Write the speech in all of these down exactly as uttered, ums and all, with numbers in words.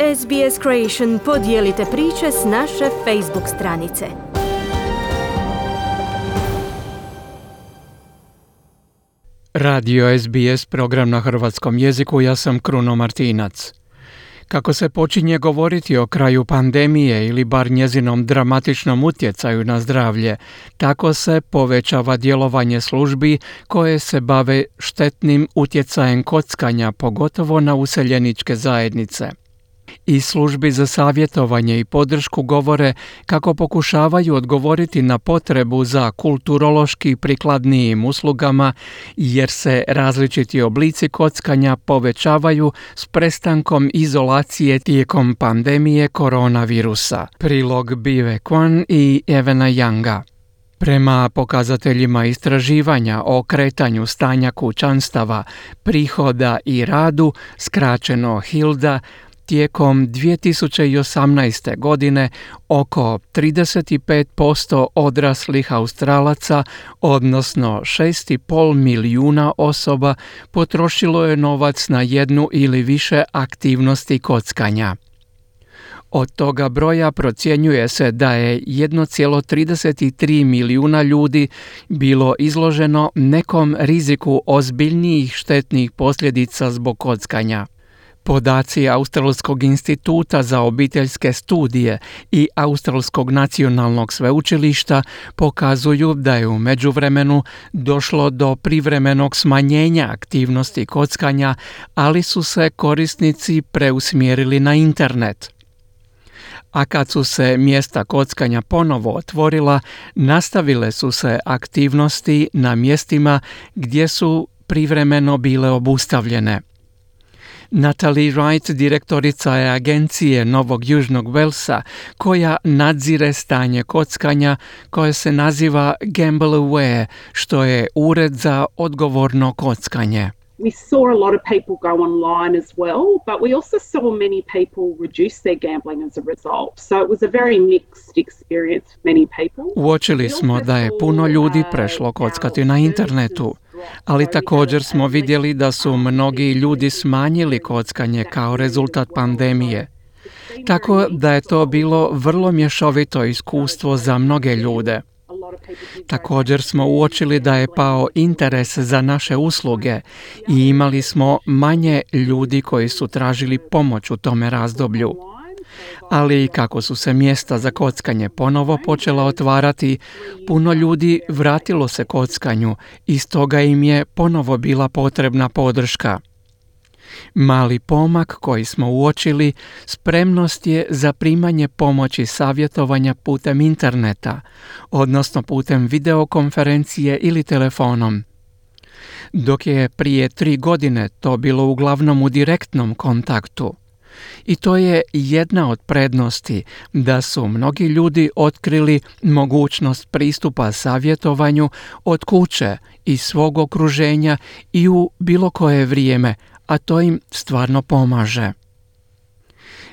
S B S Creation podijelite priče s naše Facebook stranice. Radio S B S, program na hrvatskom jeziku, ja sam Kruno Martinac. Kako se počinje govoriti o kraju pandemije ili bar njezinom dramatičnom utjecaju na zdravlje, tako se povećava djelovanje službi koje se bave štetnim utjecajem kockanja, pogotovo na useljeničke zajednice. I službi za savjetovanje i podršku govore kako pokušavaju odgovoriti na potrebu za kulturološki prikladnijim uslugama, jer se različiti oblici kockanja povećavaju s prestankom izolacije tijekom pandemije koronavirusa. Prilog Bive Kwan i Evena Younga. Prema pokazateljima istraživanja o kretanju stanja kućanstava, prihoda i radu, skraćeno Hilda, tijekom dvije tisuće osamnaeste. godine oko trideset pet posto odraslih Australaca, odnosno šest i pol milijuna osoba, potrošilo je novac na jednu ili više aktivnosti kockanja. Od toga broja procjenjuje se da je jedan zarez trideset tri milijuna ljudi bilo izloženo nekom riziku ozbiljnijih štetnih posljedica zbog kockanja. Podaci Australskog instituta za obiteljske studije i Australskog nacionalnog sveučilišta pokazuju da je u međuvremenu došlo do privremenog smanjenja aktivnosti kockanja, ali su se korisnici preusmjerili na internet. A kad su se mjesta kockanja ponovo otvorila, nastavile su se aktivnosti na mjestima gdje su privremeno bile obustavljene. Natalie Wright, direktorica je agencije Novog Južnog Walesa, koja nadzire stanje kockanja, koje se naziva Gamble Aware, što je ured za odgovorno kockanje. We saw a lot of people go online as well, but we also saw many people reduce their gambling as a result. So it was a very mixed experience for many people. Uočili smo da je puno ljudi prešlo kockati na internetu, ali također smo vidjeli da su mnogi ljudi smanjili kockanje kao rezultat pandemije. Tako da je to bilo vrlo mješovito iskustvo za mnoge ljude. Također smo uočili da je pao interes za naše usluge i imali smo manje ljudi koji su tražili pomoć u tome razdoblju. Ali kako su se mjesta za kockanje ponovo počela otvarati, puno ljudi vratilo se kockanju i stoga im je ponovo bila potrebna podrška. Mali pomak koji smo uočili, spremnost je za primanje pomoći savjetovanja putem interneta, odnosno putem videokonferencije ili telefonom. Dok je prije tri godine to bilo uglavnom u direktnom kontaktu. I to je jedna od prednosti da su mnogi ljudi otkrili mogućnost pristupa savjetovanju od kuće i svog okruženja i u bilo koje vrijeme, a to im stvarno pomaže.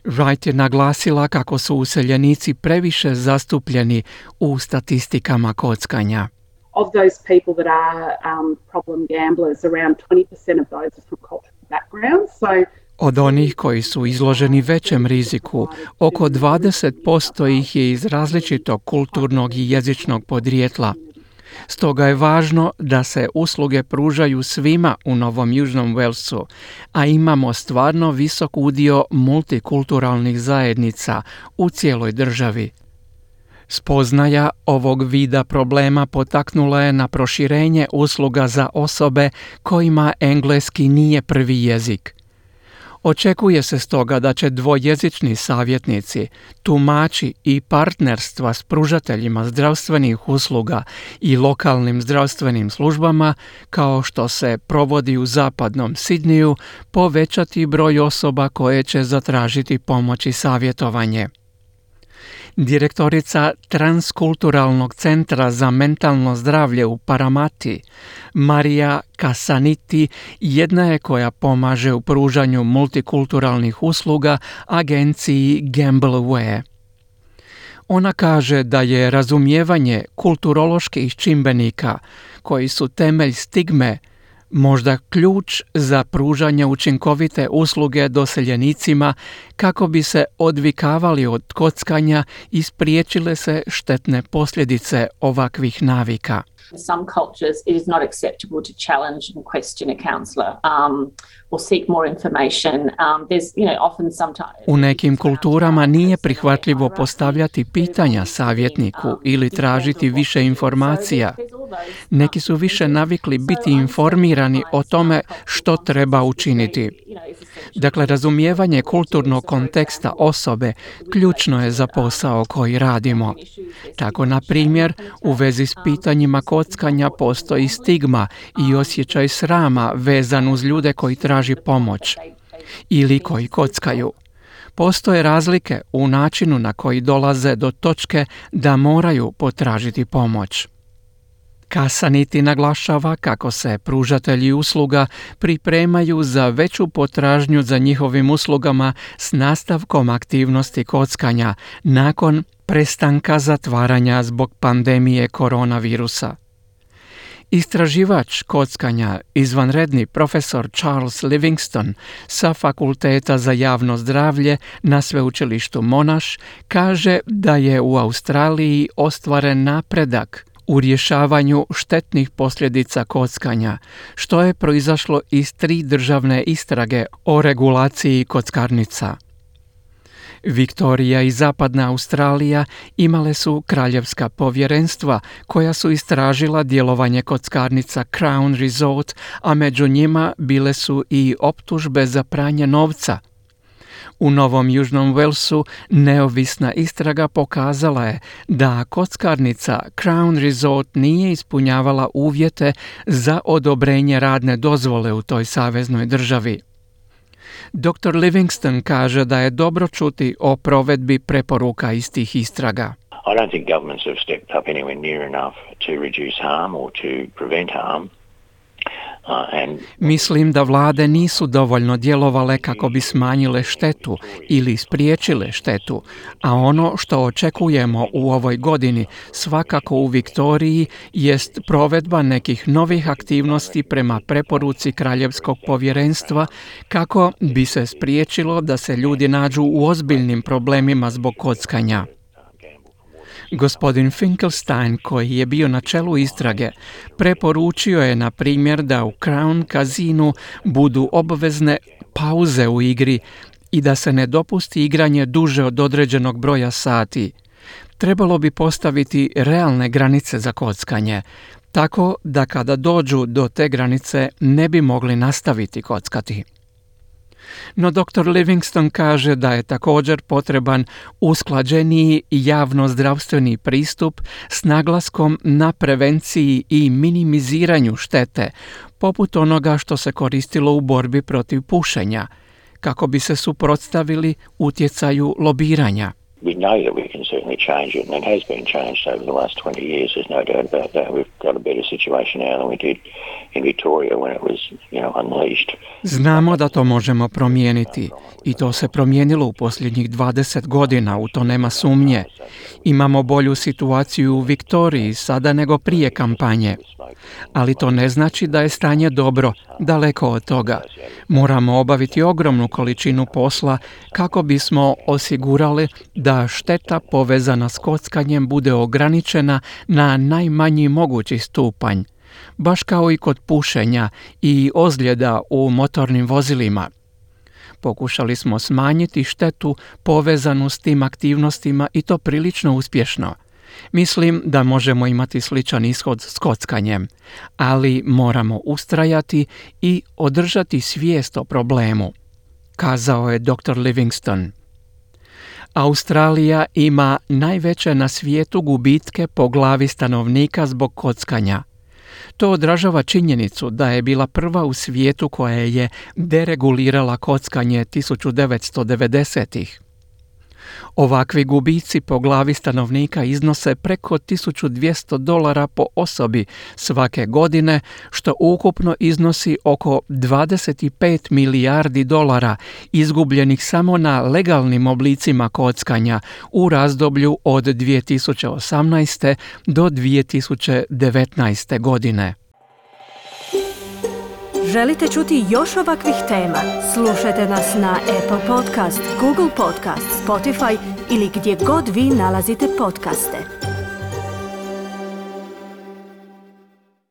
Wright je naglasila kako su useljenici previše zastupljeni u statistikama kockanja. Of those people that are um, problem gamblers, around twenty percent of those are from cultural backgrounds. So Od onih koji su izloženi većem riziku, oko dvadeset posto ih je iz različitog kulturnog i jezičnog podrijetla. Stoga je važno da se usluge pružaju svima u Novom Južnom Walesu, a imamo stvarno visok udio multikulturalnih zajednica u cijeloj državi. Spoznaja ovog vida problema potaknula je na proširenje usluga za osobe kojima engleski nije prvi jezik. Očekuje se stoga da će dvojezični savjetnici, tumači i partnerstva s pružateljima zdravstvenih usluga i lokalnim zdravstvenim službama, kao što se provodi u zapadnom Sidniju, povećati broj osoba koje će zatražiti pomoć i savjetovanje. Direktorica Transkulturalnog centra za mentalno zdravlje u Paramati, Marija Kasaniti, jedna je koja pomaže u pružanju multikulturalnih usluga agenciji Gamble Aware. Ona kaže da je razumijevanje kulturoloških čimbenika, koji su temelj stigme, Možda ključ za pružanje učinkovite usluge doseljenicima kako bi se odvikavali od kockanja i spriječile se štetne posljedice ovakvih navika. In some cultures, it is not acceptable to challenge and question a counsellor um, or seek more information. Um, there's, you know, often sometimes... U nekim kulturama nije prihvatljivo postavljati pitanja savjetniku ili tražiti više informacija. Neki su više navikli biti informirani o tome što treba učiniti. Dakle, razumijevanje kulturnog konteksta osobe ključno je za posao koji radimo. Tako, na primjer, u vezi s pitanjima kockanja postoji stigma i osjećaj srama vezan uz ljude koji traži pomoć ili koji kockaju. Postoje razlike u načinu na koji dolaze do točke da moraju potražiti pomoć. Kasaniti naglašava kako se pružatelji usluga pripremaju za veću potražnju za njihovim uslugama s nastavkom aktivnosti kockanja nakon prestanka zatvaranja zbog pandemije koronavirusa. Istraživač kockanja, izvanredni profesor Charles Livingston sa Fakulteta za javno zdravlje na sveučilištu Monash kaže da je u Australiji ostvaren napredak u rješavanju štetnih posljedica kockanja, što je proizašlo iz tri državne istrage o regulaciji kockarnica. Viktorija i Zapadna Australija imale su kraljevska povjerenstva koja su istražila djelovanje kockarnica Crown Resort, a među njima bile su i optužbe za pranje novca. U Novom Južnom Walesu neovisna istraga pokazala je da kockarnica Crown Resort nije ispunjavala uvjete za odobrenje radne dozvole u toj saveznoj državi. doktor Livingston kaže da je dobro čuti o provedbi preporuka iz tih istraga. I don't think governments have stepped up anywhere near enough to reduce harm or to prevent harm. Uh, and... Mislim da vlade nisu dovoljno djelovale kako bi smanjile štetu ili spriječile štetu, a ono što očekujemo u ovoj godini svakako u Viktoriji jest provedba nekih novih aktivnosti prema preporuci Kraljevskog povjerenstva kako bi se spriječilo da se ljudi nađu u ozbiljnim problemima zbog kockanja. Gospodin Finkelstein, koji je bio na čelu istrage, preporučio je, na primjer, da u Crown Casinu budu obvezne pauze u igri i da se ne dopusti igranje duže od određenog broja sati. Trebalo bi postaviti realne granice za kockanje, tako da kada dođu do te granice ne bi mogli nastaviti kockati. No doktor Livingston kaže da je također potreban usklađeniji javno-zdravstveni pristup s naglaskom na prevenciji i minimiziranju štete, poput onoga što se koristilo u borbi protiv pušenja, kako bi se suprotstavili utjecaju lobiranja. We know that we can certainly change it, and it has been changed over the last twenty years. There's no doubt about that. We've got a better situation now than we did in Victoria when it was, you know, unleashed. Znamo da to možemo promijeniti i to se promijenilo u posljednjih dvadeset godina, u to nema sumnje. Imamo bolju situaciju u Viktoriji sada nego prije kampanje. Ali to ne znači da je stanje dobro, daleko od toga. Moramo obaviti ogromnu količinu posla kako bismo osigurali da šteta povezana s kockanjem bude ograničena na najmanji mogući stupanj, baš kao i kod pušenja i ozljeda u motornim vozilima. Pokušali smo smanjiti štetu povezanu s tim aktivnostima i to prilično uspješno. Mislim da možemo imati sličan ishod s kockanjem, ali moramo ustrajati i održati svijest o problemu, kazao je doktor Livingston. Australija ima najveće na svijetu gubitke po glavi stanovnika zbog kockanja. To odražava činjenicu da je bila prva u svijetu koja je deregulirala kockanje tisuću devetsto devedesetih. Ovakvi gubici po glavi stanovnika iznose preko tisuću dvjesto dolara po osobi svake godine, što ukupno iznosi oko dvadeset pet milijardi dolara izgubljenih samo na legalnim oblicima kockanja u razdoblju od dvije tisuće osamnaeste do dvije tisuće devetnaeste godine. Želite čuti još ovakvih tema? Slušajte nas na Apple Podcast, Google Podcast, Spotify ili gdje god vi nalazite podcaste.